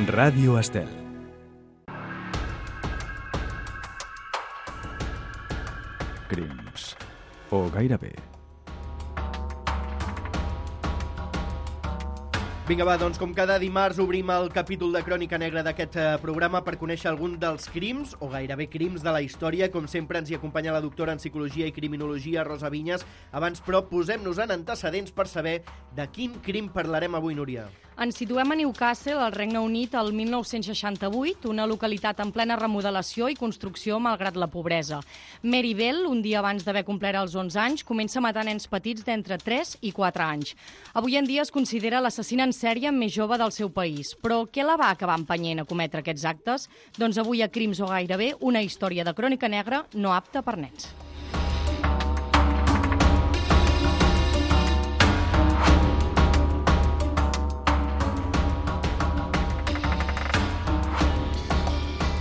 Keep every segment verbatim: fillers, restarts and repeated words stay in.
Ràdio Estel. Crims. O gairebé. Vinga, va, doncs com cada dimarts obrim el capítol de Crònica Negra d'aquest eh, programa per conèixer algun dels crims, o gairebé crims, de la història. Com sempre ens hi acompanya la doctora en Psicologia i Criminologia, Rosa Vinyes. Abans, però, posem-nos en antecedents per saber de quin crim parlarem avui, Núria. Ens situem a Newcastle, al Regne Unit, el mil nou-cents seixanta-vuit, una localitat en plena remodelació i construcció malgrat la pobresa. Mary Bell, un dia abans d'haver complert els onze anys, comença a matar nens petits d'entre tres i quatre anys. Avui en dia es considera l'assassina en sèrie més jove del seu país. Però què la va acabar empenyent a cometre aquests actes? Doncs avui a Crims o gairebé, una història de crònica negra no apta per nens.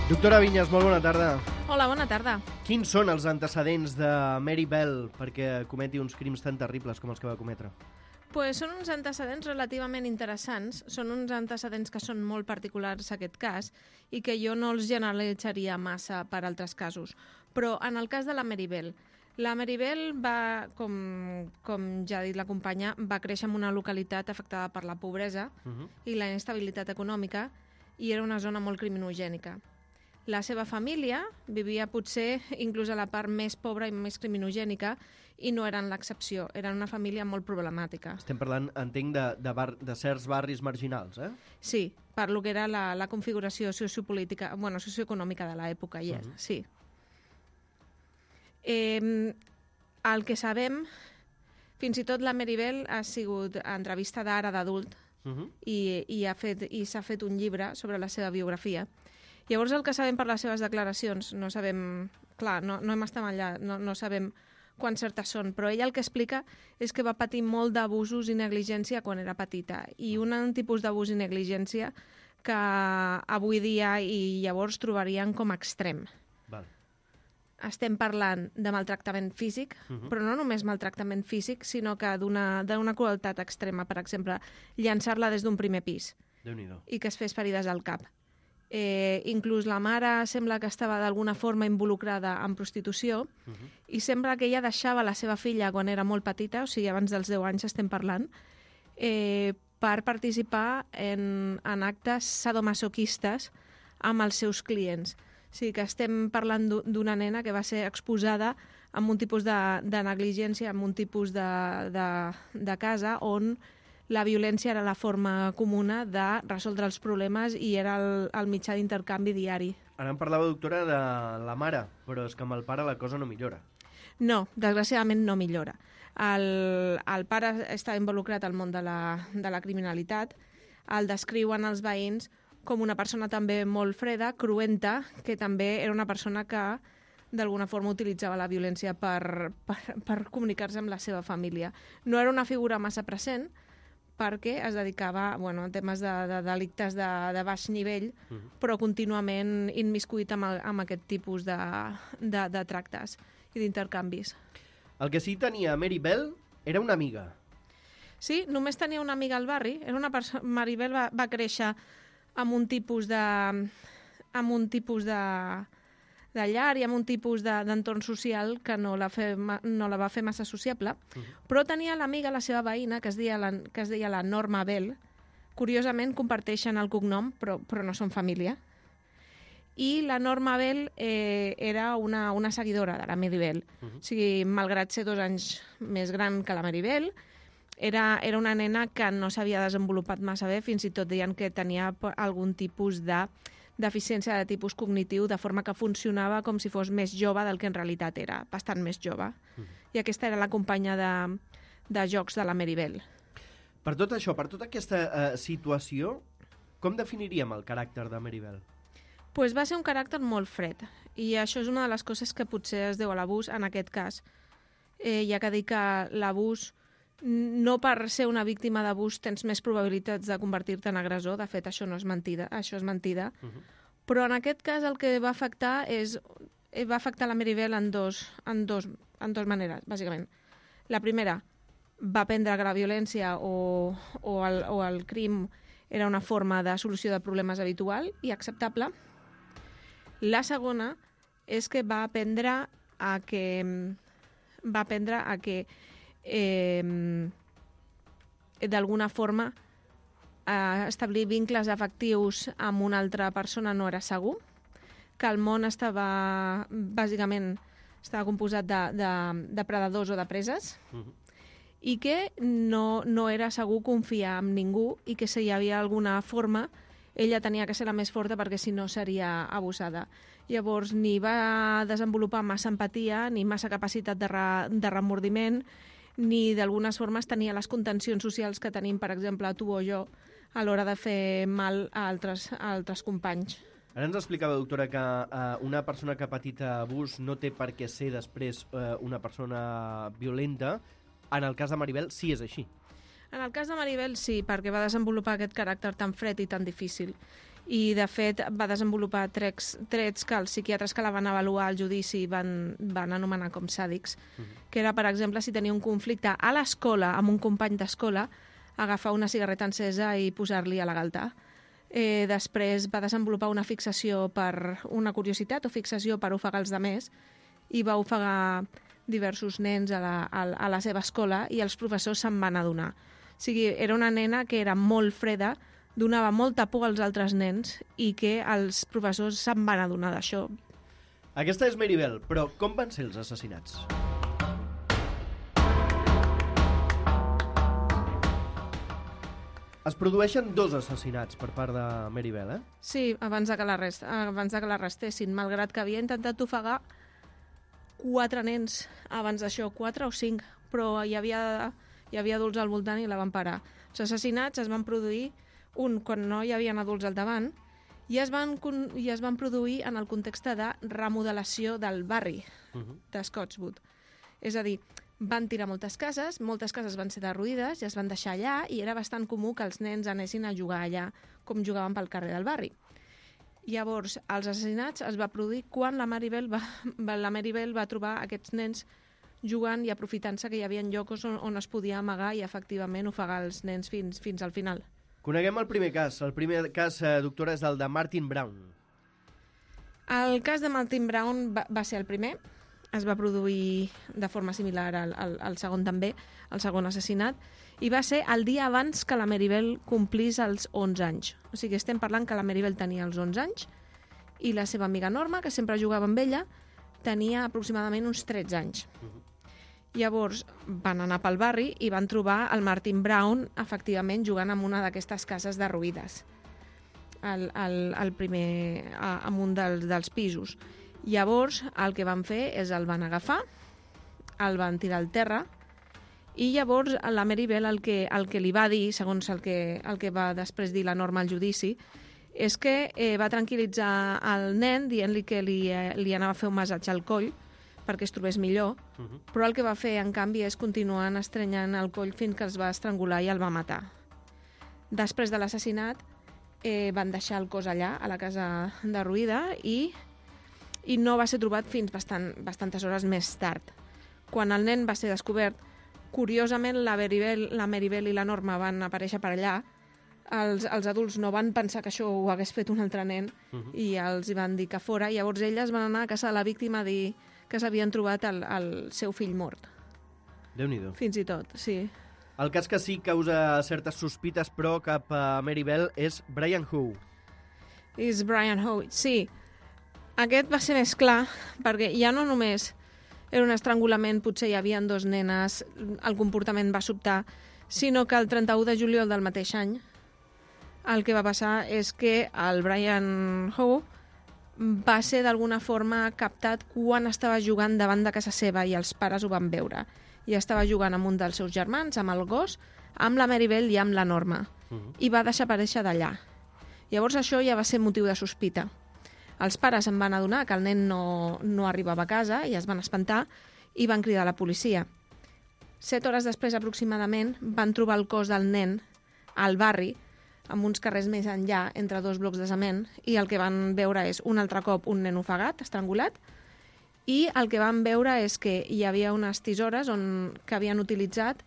Doctora Vinyes, molt bona tarda. Hola, bona tarda. Quins són els antecedents de Mary Bell perquè cometi uns crims tan terribles com els que va cometre? Pues són uns antecedents relativament interessants, són uns antecedents que són molt particulars a aquest cas i que jo no els generalitzaria massa per altres casos. Però en el cas de la Mary Bell, la Mary Bell va, com, com ja ha dit la companya, va créixer en una localitat afectada per la pobresa uh-huh. i la inestabilitat econòmica i era una zona molt criminogènica. La seva família vivia potser inclús a la part més pobra i més criminogènica i no eren l'excepció. Eren una família molt problemàtica. Estem parlant, entenc, de, de, bar, de certs barris marginals, eh? Sí, per lo que era la, la configuració sociopolítica, bueno, socioeconòmica de l'època, yes, uh-huh. sí. Eh, el que sabem, fins i tot la Mary Bell ha sigut entrevistada ara d'adult uh-huh. i, i, ha fet, i s'ha fet un llibre sobre la seva biografia. Llavors, el que sabem per les seves declaracions, no sabem, clar, no, no hem estat allà, no, no sabem quants certes són, però ella el que explica és que va patir molt d'abusos i negligència quan era petita, i un tipus d'abús i negligència que avui dia i llavors trobarien com extrem. Val. Estem parlant de maltractament físic, uh-huh. però no només maltractament físic, sinó que d'una d'una crueltat extrema, per exemple, llançar-la des d'un primer pis. Déu-n'hi-do. I que es fes ferides al cap. Eh, inclús la mare sembla que estava d'alguna forma involucrada en prostitució uh-huh. i sembla que ella deixava la seva filla quan era molt petita, o sigui, abans dels deu anys estem parlant, eh, per participar en, en actes sadomasoquistes amb els seus clients. O sigui que estem parlant d'una nena que va ser exposada amb un tipus de, de negligència, amb un tipus de, de, de casa on la violència era la forma comuna de resoldre els problemes i era el, el mitjà d'intercanvi diari. Ara em parlava, doctora, de la mare, però és que amb el pare la cosa no millora. No, desgraciadament no millora. El, el pare està involucrat al món de la, de la criminalitat, el descriuen els veïns com una persona també molt freda, cruenta, que també era una persona que d'alguna forma utilitzava la violència per, per, per comunicar-se amb la seva família. No era una figura massa present, perquè es dedicava bueno, a temes de, de delictes de, de baix nivell, uh-huh. però contínuament immiscuït amb, el, amb aquest tipus de, de, de tractes i d'intercanvis. El que sí tenia Mary Bell era una amiga. Sí, només tenia una amiga al barri. Era una perso- Mary Bell va, va créixer amb un tipus de, amb un tipus de, de llar i amb un tipus de, d'entorn social que no la, fe, no la va fer massa sociable, uh-huh. però tenia l'amiga, la seva veïna, que es deia la, que es deia la Norma Bell. Curiosament comparteixen el cognom, però, però no són família. I la Norma Bell eh, era una, una seguidora de la Mary Bell. Uh-huh. O sigui, malgrat ser dos anys més gran que la Mary Bell, era, era una nena que no s'havia desenvolupat massa bé, fins i tot deien que tenia algun tipus de deficiència de tipus cognitiu, de forma que funcionava com si fos més jove del que en realitat era, bastant més jove. Uh-huh. I aquesta era la companya de, de jocs de la Mary Bell. Per tot això, per tota aquesta uh, situació, com definiríem el caràcter de Mary Bell? Pues va ser un caràcter molt fred, i això és una de les coses que potser es deu a l'abús en aquest cas. Eh, ja que dic que l'abús, no per ser una víctima d'abús tens més probabilitats de convertir-te en agressor, de fet això no és mentida, això és mentida, uh-huh. però en aquest cas el que va afectar és va afectar la Mary Bell en dos, en dos, en dos maneres, bàsicament. La primera, va aprendre que la violència o, o, el, o el crim era una forma de solució de problemes habitual i acceptable. La segona és que va aprendre a que va aprendre a que eh, d'alguna forma eh, establir vincles afectius amb una altra persona no era segur, que el món estava, bàsicament, estava composat de, de, de predadors o de preses, uh-huh. i que no, no era segur confiar en ningú i que si hi havia alguna forma ella tenia que ser la més forta perquè si no seria abusada. Llavors ni va desenvolupar massa empatia ni massa capacitat de, re, de remordiment ni d'algunes formes tenia les contencions socials que tenim, per exemple, tu o jo, a l'hora de fer mal a altres, a altres companys. Ara ens explicava, doctora, que uh, una persona que ha patit abús no té per què ser després uh, una persona violenta. En el cas de Maribel sí és així. En el cas de Maribel sí, perquè va desenvolupar aquest caràcter tan fred i tan difícil. I, de fet, va desenvolupar trets, trets que els psiquiatres que la van avaluar al judici van, van anomenar com sàdics, uh-huh. que era, per exemple, si tenia un conflicte a l'escola amb un company d'escola, agafar una cigarreta encesa i posar-li a la galta. Eh, després va desenvolupar una fixació per una curiositat o fixació per ofegar els demés i va ofegar diversos nens a la, a, a la seva escola i els professors se'n van adonar. O sigui, era una nena que era molt freda, donava molta por als altres nens i que els professors se'n van adonar d'això. Aquesta és Maribel, però com van ser els assassinats? Es produeixen dos assassinats per part de Maribel, eh? Sí, abans de que l'arrest, abans de que l'arrestessin, malgrat que havia intentat ofegar quatre nens abans d'això, quatre o cinc, però hi havia, hi havia adults al voltant i la van parar. Els assassinats es van produir, un quan no hi havia adults al davant, i es van, i es van produir en el context de remodelació del barri uh-huh. de Scottswood. És a dir, van tirar moltes cases, moltes cases van ser derruïdes i es van deixar allà i era bastant comú que els nens anessin a jugar allà com jugaven pel carrer del barri. Llavors, els assassinats es va produir quan la Maribel va, la Maribel va trobar aquests nens jugant i aprofitant-se que hi havia llocs on, on es podia amagar i efectivament ofegar els nens fins, fins al final. Coneguem el primer cas. El primer cas, eh, doctora, és el de Martin Brown. El cas de Martin Brown va, va ser el primer. Es va produir de forma similar al, al, al segon també, el segon assassinat, i va ser el dia abans que la Maribel complís els onze anys. O sigui, estem parlant que la Maribel tenia els onze anys i la seva amiga Norma, que sempre jugava amb ella, tenia aproximadament uns tretze anys. Uh-huh. Llavors van anar pel barri i van trobar el Martin Brown efectivament jugant en una d'aquestes cases derruïdes, al, al, al primer, a, en un dels, dels pisos. Llavors, el que van fer és el van agafar, el van tirar al terra, i llavors la Maribel el que, el que li va dir, segons el que, el que va després dir la Norma al judici, és que eh, va tranquil·litzar el nen dient-li que li, eh, li anava a fer un massatge al coll perquè es trobés millor, uh-huh. però el que va fer, en canvi, és continuar estrenyant el coll fins que es va estrangular i el va matar. Després de l'assassinat, eh, van deixar el cos allà, a la casa derruïda, i i no va ser trobat fins bastant, bastantes hores més tard. Quan el nen va ser descobert, curiosament la Maribel, la Maribel i la Norma van aparèixer per allà, els, els adults no van pensar que això ho hagués fet un altre nen uh-huh. i els van dir que fora, i llavors elles van anar a casa de la víctima a dir que s'havien trobat el, el seu fill mort. Déu-n'hi-do. Fins i tot, sí. El cas que sí causa certes sospites, però, cap a Maribel és Brian Howe. És Brian Howe, sí. Aquest va ser més clar, perquè ja no només era un estrangulament, potser hi havia dos nenes, el comportament va sobtar, sinó que el trenta-u de juliol del mateix any el que va passar és que el Brian Howe va ser d'alguna forma captat quan estava jugant davant de casa seva i els pares ho van veure. I estava jugant amb un dels seus germans, amb el gos, amb la Maribel i amb la Norma. Uh-huh. I va desaparèixer d'allà. Llavors això ja va ser motiu de sospita. Els pares se'n van adonar que el nen no, no arribava a casa i es van espantar i van cridar a la policia. Set hores després, aproximadament, van trobar el cos del nen al barri, amb uns carrers més enllà, entre dos blocs de cement, i el que van veure és un altre cop un nen ofegat, estrangulat, i el que van veure és que hi havia unes tisores on, que havien utilitzat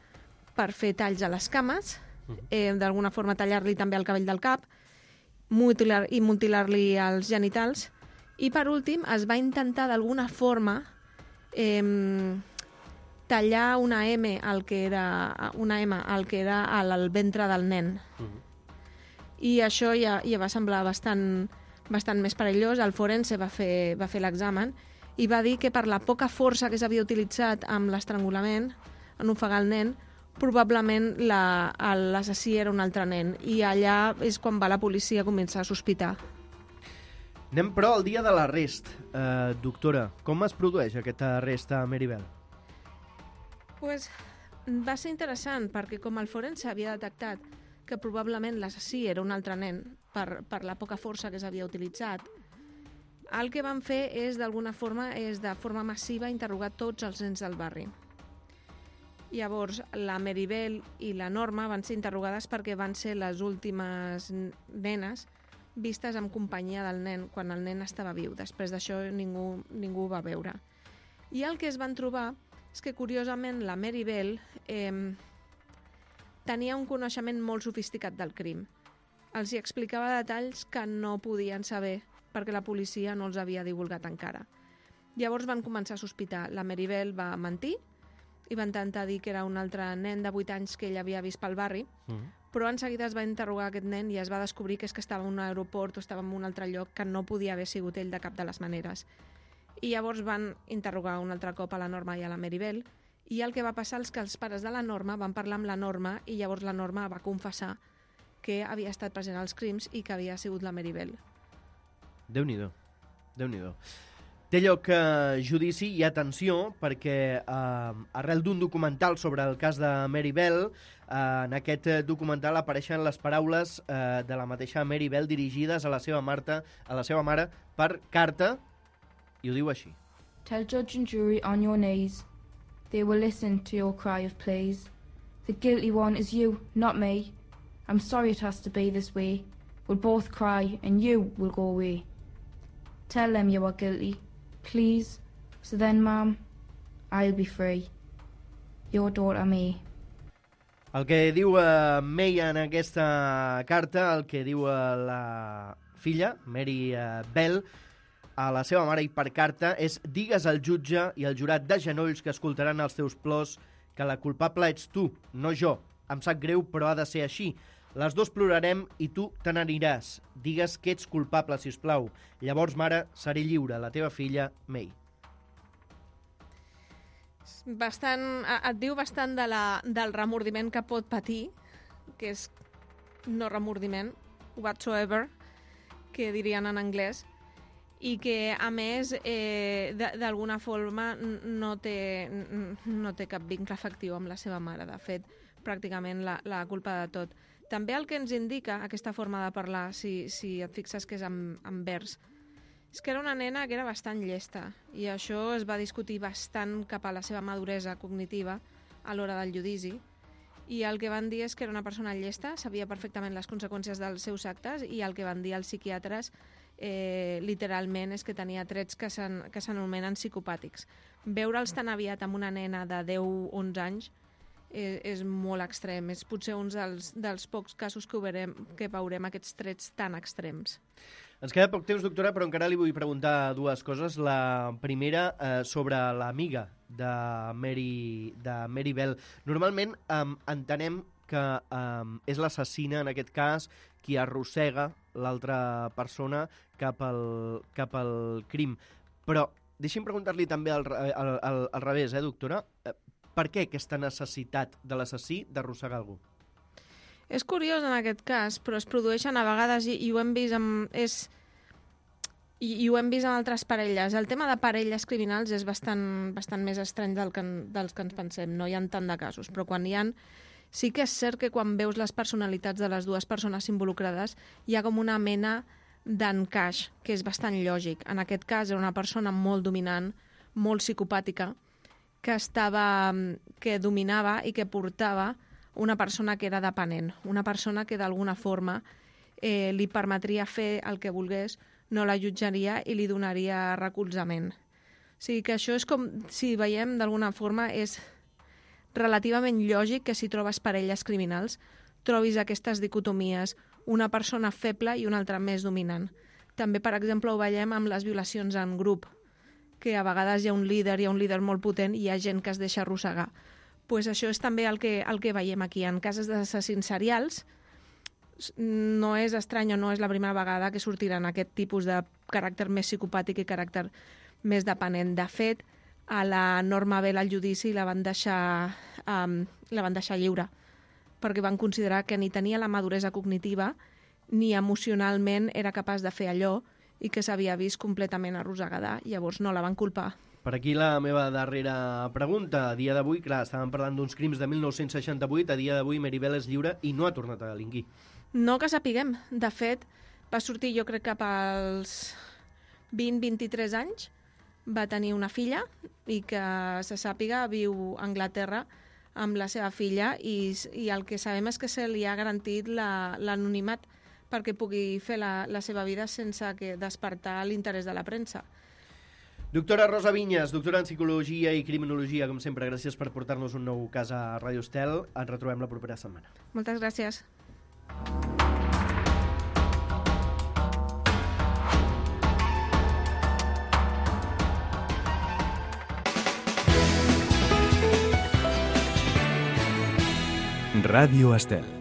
per fer talls a les cames eh, d'alguna forma tallar-li també el cabell del cap mutilar, i mutilar-li els genitals. I per últim es va intentar d'alguna forma eh, tallar una M al que era una M al que era al, al ventre del nen. Uh-huh. I això ja, ja va semblar bastant, bastant més perillós. El forense va fer, va fer l'examen i va dir que per la poca força que s'havia utilitzat amb l'estrangulament, en ofegar el nen, probablement la, l'assassí era un altre nen. I allà és quan va la policia començar a sospitar. Anem, però, al dia de l'arrest. Eh, doctora, com es produeix aquest arrest a Meribel? Pues, va ser interessant, perquè com el forense havia detectat que probablement l'assassí era un altre nen per, per la poca força que s'havia utilitzat, el que van fer és, d'alguna forma, és de forma massiva interrogar tots els nens del barri. Llavors, la Meribel i la Norma van ser interrogades perquè van ser les últimes nenes vistes en companyia del nen quan el nen estava viu. Després d'això ningú, ningú ho va veure. I el que es van trobar és que, curiosament, la Meribel eh, tenia un coneixement molt sofisticat del crim. Els hi explicava detalls que no podien saber perquè la policia no els havia divulgat encara. Llavors van començar a sospitar. La Meribel va mentir i va intentar dir que era un altre nen de vuit anys que ell havia vist pel barri, mm. però en seguida es va interrogar aquest nen i es va descobrir que és que estava en un aeroport o estava en un altre lloc que no podia haver sigut ell de cap de les maneres. I llavors van interrogar un altre cop a la Norma i a la Meribel, i el que va passar és que els pares de la Norma van parlar amb la Norma i llavors la Norma va confessar que havia estat present als crims i que havia sigut la Meribel. Déu-n'hi-do, Déu-n'hi-do. Té lloc eh, judici i atenció perquè eh, arrel d'un documental sobre el cas de Meribel, eh, en aquest documental apareixen les paraules eh, de la mateixa Meribel dirigides a la seva Marta, a la seva mare per carta, i ho diu així. Tell judge and jury on your knees. They will listen to your cry of pleas. The guilty one is you, not me. I'm sorry it has to be this way. We'll both cry and you will go away. Tell them you are guilty. Please, so then, Mum, I'll be free. Your daughter, May. El que diu uh, May en aquesta carta, el que diu uh, la filla, Mary uh, Bell, a la seva mare i per carta, és: digues al jutge i al jurat de genolls que escoltaran els teus plors que la culpable ets tu, no jo. Em sap greu, però ha de ser així. Les dos plorarem i tu te n'aniràs. Digues que ets culpable, si us plau. Llavors, mare, seré lliure. La teva filla, May. Bastant, et diu bastant de la, del remordiment que pot patir, que és no remordiment, whatsoever, que dirien en anglès, i que, a més, eh, d'alguna forma no té, no té cap vincle afectiu amb la seva mare. De fet, pràcticament la, la culpa de tot. També el que ens indica aquesta forma de parlar, si, si et fixes que és en, en vers, és que era una nena que era bastant llesta, i això es va discutir bastant cap a la seva maduresa cognitiva a l'hora del judici, i el que van dir és que era una persona llesta, sabia perfectament les conseqüències dels seus actes, i el que van dir els psiquiatres eh, literalment és que tenia trets que s'anomenen psicopàtics. Veure'ls tan aviat amb una nena de deu o onze anys és, és molt extrem. És potser un dels, dels pocs casos que, veurem, que veurem aquests trets tan extrems. Ens queda poc temps, doctora, però encara li vull preguntar dues coses. La primera, eh, sobre l'amiga de Mary, de Mary Bell. Normalment eh, entenem que eh, és l'assassina, en aquest cas, qui arrossega l'altra persona cap al, cap al crim. Però deixi'm preguntar-li també al, al, al, al revés, eh, doctora? Eh, Per què aquesta necessitat de l'assassí d'arrossegar algú? És curiós en aquest cas, però es produeixen a vegades, i, i ho hem vist amb, és, i, i ho hem vist amb altres parelles. El tema de parelles criminals és bastant, bastant més estrany del que, dels que ens pensem. No hi ha tant de casos, però quan hi ha, sí que és cert que quan veus les personalitats de les dues persones involucrades hi ha com una mena d'encaix, que és bastant lògic. En aquest cas era una persona molt dominant, molt psicopàtica, que estava, que dominava i que portava una persona que era dependent, una persona que d'alguna forma eh, li permetria fer el que volgués, no la jutjaria i li donaria recolzament. O sigui que això és com, si veiem d'alguna forma, és relativament lògic que si trobes parelles criminals trobis aquestes dicotomies, una persona feble i una altra més dominant. També, per exemple, ho veiem amb les violacions en grup, que a vegades hi ha un líder, hi ha un líder molt potent i hi ha gent que es deixa arrossegar. Pues això és també el que, el que veiem aquí. En casos d'assassins serials, no és estrany o no és la primera vegada que sortiran aquest tipus de caràcter més psicopàtic i caràcter més dependent. De fet, a la Norma Bell al judici la van deixar, um, la van deixar lliure, perquè van considerar que ni tenia la maduresa cognitiva ni emocionalment era capaç de fer allò i que s'havia vist completament arrossegada. Llavors no la van culpar. Per aquí la meva darrera pregunta. A dia d'avui, clar, estàvem parlant d'uns crims de mil nou-cents seixanta-vuit, a dia d'avui Mary Bell és lliure i no ha tornat a delinquir. No que sapiguem. De fet, va sortir jo crec cap als vint a vint-i-tres anys, va tenir una filla i que se sàpiga viu a Anglaterra amb la seva filla i, i el que sabem és que se li ha garantit l'anonimat la, perquè pugui fer la, la seva vida sense que despertar l'interès de la premsa. Doctora Rosa Vinyes, doctora en Psicologia i Criminologia, com sempre, gràcies per portar-nos un nou cas a Ràdio Estel. Ens retrobem la propera setmana. Moltes gràcies. Ràdio Estel.